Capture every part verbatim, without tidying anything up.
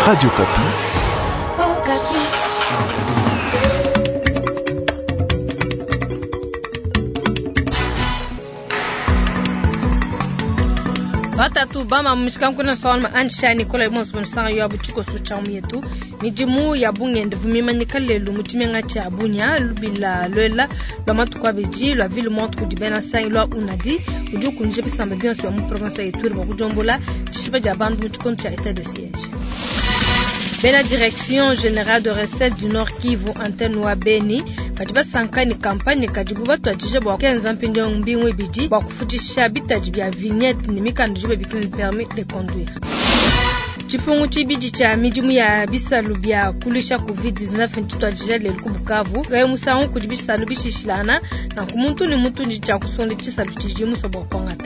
Radio Okapi. Okapi. Batatu bama mishikankuna sawalma ansha Nicola Mons bonsan yo abuchiko sucha yetu midimu ya bungende vumimanyika lelu mutshimenga tshia Bunia lubila lwela lwa matuku abidi lwa ville morte kudi bena sangi lwa unadi udi ukunjija bisamba bionso bia mu province ya Ituri bua kudiombola tshishipa dia bantu mu tshikondo tshia état de siège. Bena direction générale de recette du Nord Kivu antenne wa Beni badi basanka ne kampanye kadibu batuadije bua kenza mpindieu mbingu ibidi bua kufutisha bitadi bia vignette ne mikanda idibu babikila ne permis de conduire. Tshipungu tshibidi tshia midimu ya bisalu bia kuluisha covid dix-neuf ntshituadija lelu ku Bukavu. Kayi musangu kudi bisalu bishishilana nanku muntu ne muntu ndi tshia kusonda tshisalu tshidi musue bua kuangata.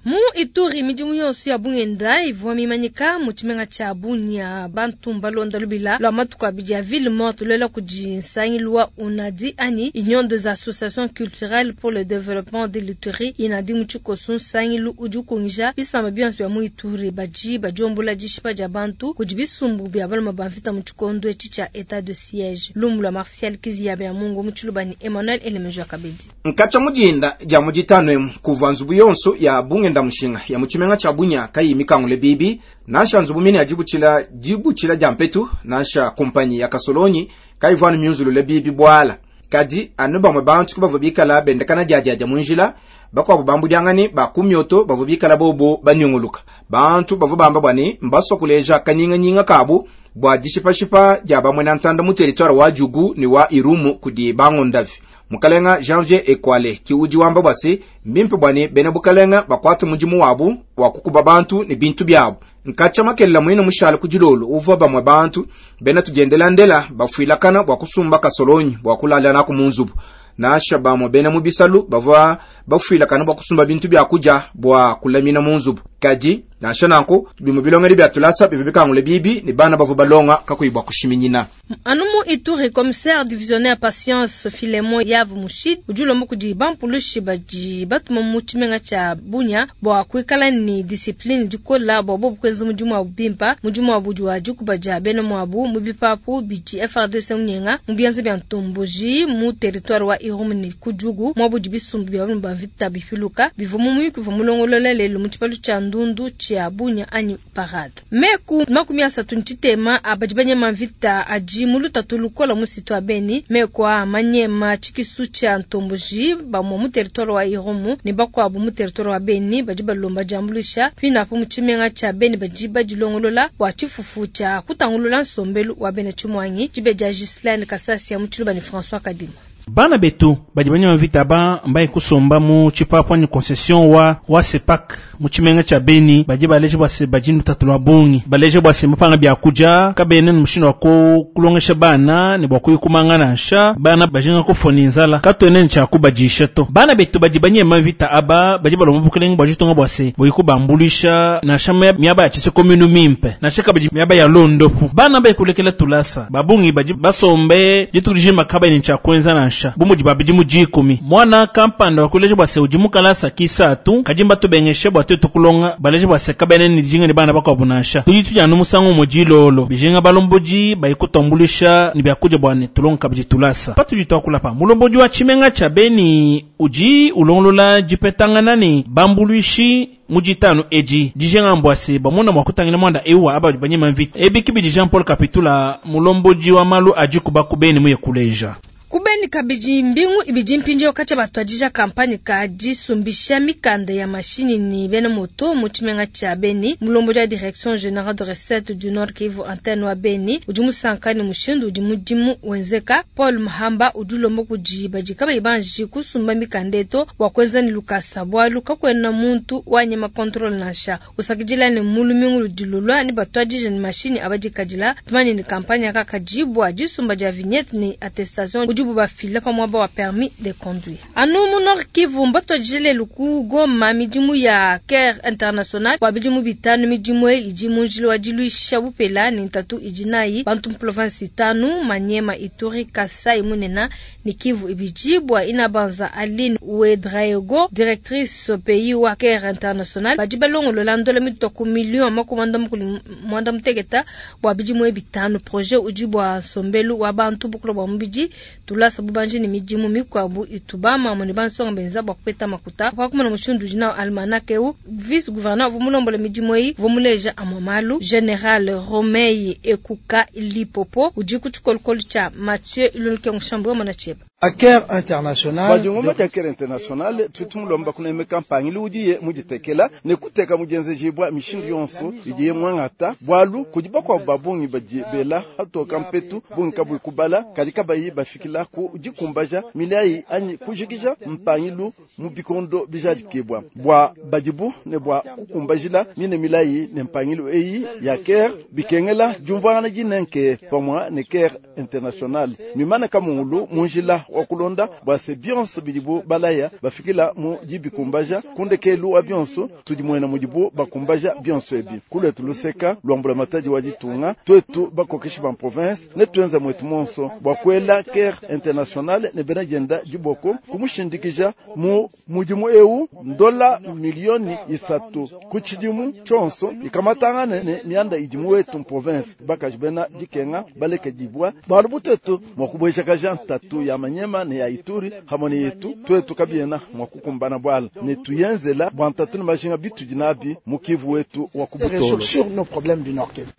Mu Ituri midimu yonso ya bungenda ivua mimanyika mu tshimenga tshia Bunia bantu mbalonda lubila lwa matuku abidi ya ville morte lwela kudi nsangilu wa UNADI anyi Union des associations culturelles pour le développement de l'Ituri inadi mu tshikoso nsangilu udi ukungija bisamba bionso bia mu Ituri badi badiombola dishipa dia bantu kudi bisumbu bia baluma ba mvita mu tshikondo etshi tshia état de siège. Lumu lwa Martial Kizia bia Mungu mu Tshilubani Emmanuel Elemejo Kabedi. Nkacha mujinda dia mujitano emu kuva nzubu yonso ya bungenda mushinga ya muchimenga cha Bunia kayi mikangule bibi nansha nzubu mine ya dibuchila dibuchila dia mpetu nansha kompanyi ya kasolonyi kayivwanu myunzulule bibi bwala kadi anu bamwe bantu kubavua bikala bendekana dia dia dia munjila bakwabo bambudyangani ba kumyoto bavua bikala bobo banyunguluka bantu bavua bamba bwani mbaswa kuleja kanyinganyinga kabu bwa dishipashipa dia bamwe na ntanda mu territoire wa Djugu ni wa Irumu kudi bangondavi. Mukalenga Janvier Ekwale ki udi wamba bwasi mbimpe bwani bena bukalenga bakwata mudimu wabu wa kukuba bantu ne bintu byabu. Nkacha makelela mwine mushale ku dilolo uvua bamwe bantu bena tudiendela ndela bafuilakana bwa kusumba kasolonyi bwa kulala naku munzubu. Nasha bamwe bena mu bisalu bavua bafuilakana bwa kusumba bintu bya kuja bwa kulamina munzubu. Kadi nasha nanku bimwe bilongeri bya tulasa bivyo bikangule bibi ni bana bavua balonga kakuyibwa kushiminyina. Anu mu Ituri commissaire divisionnaire Patience Philemon Yav Mushid udi ulomba kudi bampulushi badi batuma mu tshimenga tshia Bunia bua kuikala ni discipline dikola bua bobu kuenza mudimu wabu bimpa mudimu wabu udi wa dikuba dia bena muabu mu bipapu bidi F R D C munyenga mu bianza bia ntomboji mu territoire wa Irumu ne ku Djugu muabu udi bisumbu bia bantu ba mvita bifiluka bivua mu muyuki uvua mulongolola lelu mu tshipalu tshia Ndundu tshia Bunia anyi parade. Meku makumi asatu ntshitema abadi banyema mvita adi mu lutatu lukola mu situ wa Beni meku a manyema tshikisu tshia ntomboji bamwe mu territoire wa Irumu ne bakuabu mu territoire wa Beni badi balomba diambuluisha pinapo mu tshimenga tshia Beni badi badilongolola bua tshifufu tshia kutangulula nsombelu wa bena tshimwangi tshibe dia Ghislaine Kasasi ya mu Tshiluba ne François Kadima. Bana betu badi banyema mvita ba mbaye kusomba mu tshipapua ni concession wa wa Sepak mu tshimenga tshia Beni badi baleje bua se badi lutatu lua bungi baleje bua se mapanga bia kudia kabene ni mushindu wa kulongesha bana ne bua kuyikumanga nansha bana bajinga kufona inzala katwene ni tshia kubadisha to bana betu badi banyema mvita aba badi balomba bukelenge bua ditunga bua se buyikubambulisha nansha miaba ya tshise commune mimpe nansha kabidi miaba ya londopu bana bayikulekela tulasa babungi badi basombe dituku dijima kabene tshia kuenza nansha bumudi babidi mu dikumi mwana kampanda wakuleje bua se udi mukalasa kisatu kadimba tubengeshe bua tuetu kulonga baleje bua se kabene ni dijinga ni bana bakuabu nansha tudi tudianu musangu mu dilolo bijinga balombodi bayikutambulisha ni byakudia bua ne tulonga kabidi tulasa patudi tuakulapa mulombodi wa tshimenga tshia Beni udi ulongolola dipetangana ni bambuluishi mu ditanu edi dijinga mbua se bamona mua kutangila mwanda ewu aba banyema mvita ebi kibidi Jean Paul Kapitula mulombodi wa malu adi kuba ku Beni muye kuleja. Kubeni kabidi mbingu ibidi mpindieu katshia batuadija kampanye ka disumbisha mikanda ya mashinyi ni bena moto mu tshimenga tshia Beni mulombodi wa direction générale de recette du Nord Kivu antenne wa Beni udi musanka ne mushindu udi mudimu wenzeka. Paul Mahamba udi ulomba kudi badi kabayi banji kusumba mikanda eto bua kuenza ne lukasa bualu kakuena muntu wanyema contrôle nansha usakidila ne mulumingu ludi lulua ne batuadija ne mashinyi abadikadila tumanye ne kampanye kakadi bua disumba dia vignette ne attestation udi Udibu bafila pa muaba wa permis de conduire. Anu mu Nord Kivu mbatuadije lelu ku Goma midimu ya Care International bua bidimu bitanu. Midimu eyi idi mu njila wa diluisha bupela ne ntatu idi nayi bantu mu province itanu: Maniema, Ituri, Kasai Munene ne Kivu ibidi. Bua Inabanza Aline Ouedraogo, directrice pays wa Care International, badi balongolola ndola mitua ku million makumi muanda mutekete bua bidimu bitanu. Projet udi bua nsombelu wa bantu bukula bua mubidi tulasa bubanji ne midimu mikuabu itu bamamu ne bansonga benza bua kupeta makuta. Pa kumona mushindu udi nawu almanach eu, vice gouverneur uvua mulombola midimu eyi uvua muleja amue malu. General Romei Ekuka Lipopo udi ku tshikolokolo tshia Mathieu Ilunike Mushambu wa Tshieba. Care International badiongomba dia Care International tutumulomba kunemeka mpangili udiye muditekela ne kuteka mudenzejibwa mishindu yonso idiye mwangata bwalu kudi bakuabu babungi badi bela hatoka mpetu bungi kabui kubala kadi kabayi bafikila ku dikumbaja milayi anyi kujikija mpangilu mu bikondo bijadikibwa bwa badibu ne bwa kukumbajila mine milayi ne mpangilu eyi ya Care bikengela diumvuangana dinenke pamua ne Care International mimana kamungulu munjila wa kulonda bwa se bionso bidibu balaya bafikila mu dibikumbaja kundekelu wa bionso tudi muena mudibu bakumbaja bionso ebi kuletu luseka lwambula matadi wa ditunga twetu bakokeshi ba province ne tuenza mwetu monso bwa kuela Care International ne bena dienda diboko kumushindikija mu mudimu eu ndola milioni isatu ku tshidimu tshionso ikamatangane ne mianda idimu wetu province bakaji bena dikenga baleke dibwa balu butetu mwa kubwejakaja ntatu ya manyema ne ya Ituri hamone yetu twetu kabiena mwa kukumbana bwala ne tuyenzela bwa ntatu ne majinga bitudi nabi mu Kivu wetu wa kubutolo sur nos problèmes du Nord Kivu.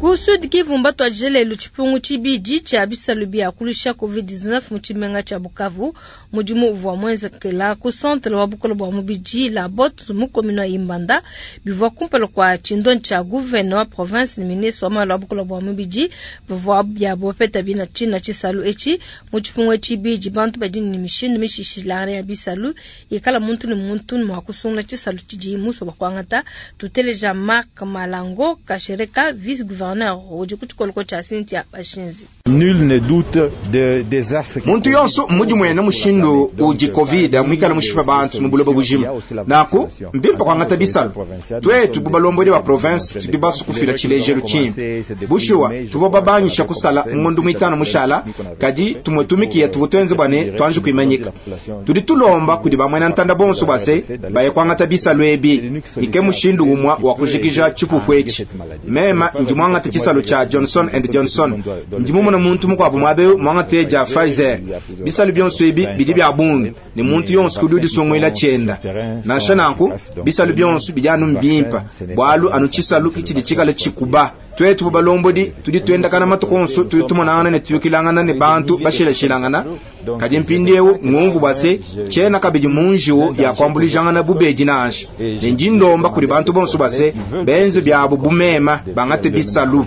Ku Sud Kivu mbatuadije lelu tshipungu tshibidi tshia bisalu bia kulusha covid dix-neuf mu tshimenga tshia Bukavu. Mudimu uvua muenzekela ku centre wa bukole bua mubidi la bot mu commune ya Imbanda bivua kumpala kua tshindonyi tshia gouverneur wa province ne ministre wa malu a bukole bua mubidi bivua bia bopeta bina tshina tshisalu etshi. Mu tshipungu tshibidi bantu badi ne mishindu mishishilangane ya bisalu ikala muntu ne muntu mua kusungula tshisalu tshidi musue bua kuangata. Tuteleja Marc Malango Kashereka, vice gouverneur Nul ne doute de désastre. Muntu yonso mudi mwene mushindu udi covid mwikala mushipa bantu mu buloba bujima naku mbimpa kwangata bisalu twetu bubalombodi wa province tudi basu kufila tshilejelu tshimpe bushuwa tuvua babanyisha kusala ngondu mwitano mushala kadi tumwe tumikiya tuvua tuenze bwane twanje kuimanyika tudi tulomba kudi bamwena ntanda bonso base baye kwangata bisalu ebi ike mushindu umwa wa kujikija tshipupu etshi mema ndi mwangata tshisalu tsha Johnson and Johnson ndi mumona muntu mukuabu mwabe mwangate ja Pfizer bisalu bionso ebi bidi bya bungi ne muntu yonso kudi udisongoela tshienda nansha nanku bisalu bionso bidi anu mbimpa bwalu anu tshisalu kitshidi tshikala tshikuba twetu balombodi tudi tuendakana matuku onso tudi tumonangana ne tuyukilangana ne bantu bashilashilangana kadi mpindiewu ngumvu bwa se tshiena kabidi munjiwu ya kuambulijangana bubedi nansha ne ndi ndomba kudi bantu bonso bwa se benze byabo bumema bangate bisalu.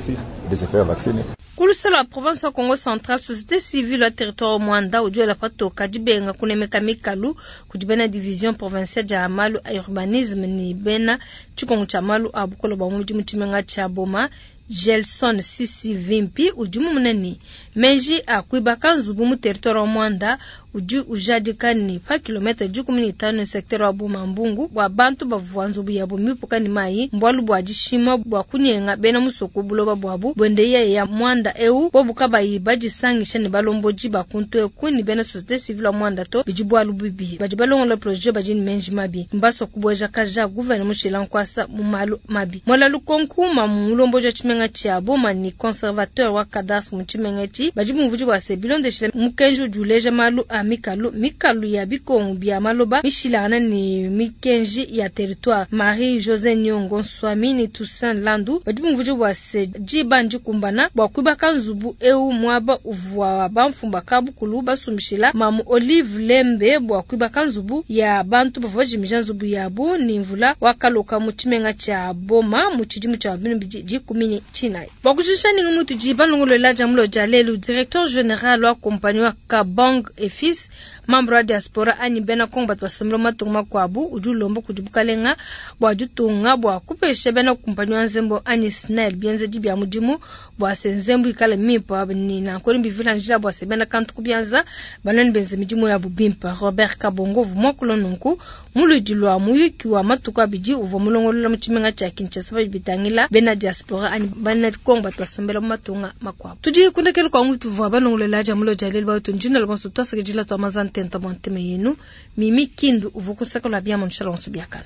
Kulusala wa province wa Congo Central, société civile wa territoire Mwanda udi patoka dibenga kunemeka mikalu kudi bena division provinciale dia malu a urbanisme ni bena tshikongo tshia malu a bukolo bua mubidi mu tshimenga tshia Boma. Gelson Sisi Vimpi udi mumune menji a kuibaka nzubu mu territoire wa Mwanda udi ujadika ni pa kilometre dikumi ne itanu secteur wa Boma Mbungu bua bantu bavua nzubu yabo mipuka ne mayi mbwalu bua dishima bua kunyenga bena musoko buloba bwabu bwende ya Mwanda eu bobu kabayi badisangisha ne balomboji bakuntu eku ni bena société civile wa Mwanda to bidi bwalu bibi badi balongola projet badi ne menji mabi mbaswa kubweja kaja gouvernement mushila nkwasa mu malu mabi mwala lukonkuma mu mulomboji wa tshimenga tshia Boma ni conservateur wa cadastre mu tshimenga etshi badi bumvudi bua se bilondeshile mukenji udi uleja malu a mikalu mikalu ya bikongo bia maloba mishilana ni mikenji ya territoire. Marie José Nyongo Nswami ni Toussaint Landu badi bumvudi bua se dibandi kumbana bua kuibaka nzubu eu mwaba uvua bamfumba kabukulu basumbishila mamu Olive Lembe bua kuibaka nzubu ya bantu bavua bajimija nzubu yabu ni mvula wakaloka mu tshimenga tshia Boma mu tshidimu tshia bibili dikumi ne tshinayi. Bua kujisha ningi mutu di balongolola dia mulo dia lelu, directeur général wa compagnie wa Kabang et Fils Membre wa diaspora anyi bena Kongo batu basombela mu matunga makuabu udi ulomba kudi bukalenga bua ditunga bua kupesha bena kumpanyi wa nzembu anyi SNEL bienzedi bia mudimu bua se nzembu ikale mimpe ni nanku bivila njila bua se bena kantu ku bianza banani benze midimu yabu bimpe. Robert Kabongo uvua muakula nunku mu luidi lua muyuki wa matuku abidi uvua mulongolola mu tshimenga tshia Kinshasa badi bitangila bena diaspora anyi bena Kongo batu basombela mu matunga makuabu. Tudi kundekelu kwa ngutu tuvua balongolola dia mulo dia lelu batu njina lobonso twasakidila twa mazantenta bua ntema yenu. Mimi Kindu uvua kusaka lua biamu nshala onso biakana.